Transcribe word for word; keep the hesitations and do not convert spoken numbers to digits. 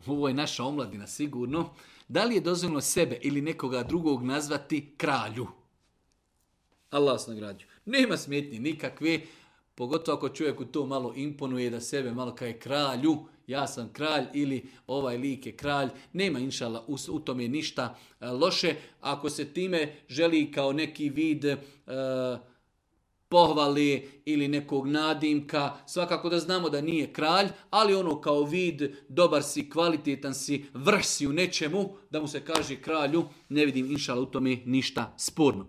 ovo je naša omladina sigurno, da li je dozvoljeno sebe ili nekoga drugog nazvati kralju? Allah vas nagrađuje. Nema smetnje nikakve, pogotovo ako čovjeku to malo imponuje da sebe malo kao je kralju, ja sam kralj ili ovaj lik je kralj, nema inšala u, u tome ništa e, loše. Ako se time želi kao neki vid e, pohvale ili nekog nadimka, svakako da znamo da nije kralj, ali ono kao vid, dobar si, kvalitetan si, vrh si u nečemu, da mu se kaže kralju, ne vidim inšala u tome ništa sporno.